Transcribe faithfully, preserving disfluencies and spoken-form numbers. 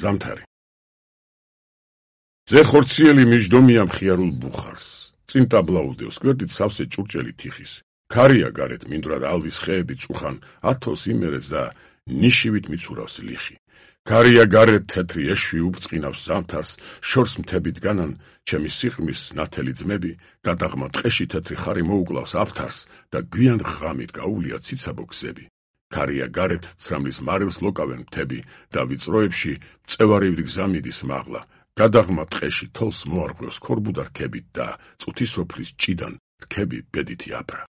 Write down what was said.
ზამთარი. ზე ხორციელი მიჯდომია მხიარულ ბუხარს. წინ ტაბლაუდევს გვერდით სავსე ჭურჭელი თიხის. ქარია გარეთ მინდვრად ალვის ხეები წუხან, ათოს იმერეს და ნიშივით მიცურავს ლიხი. ქარია გარეთ თეთრი ეშვი უბწყინავს ზამთარს, შორს მთებით განან, ჩემი სიყრმის ნათელი ძმები, გადაღმა ტყეში თეთრი ხარი მოუკლავს აფთარს და გვიან ღამით გაუვლია ციცაბო გზები. ქარია გარეთ ცრამლის მარევს ლოკავენ მთები და ვიწროებში მწევარივით გზა მიდის მაღლა. გადაღმა ტყეში თოლს მოარღვევს ქორბუდა რქებით და წუთისოფლის ჭიდან რქები ბედითი აფრა.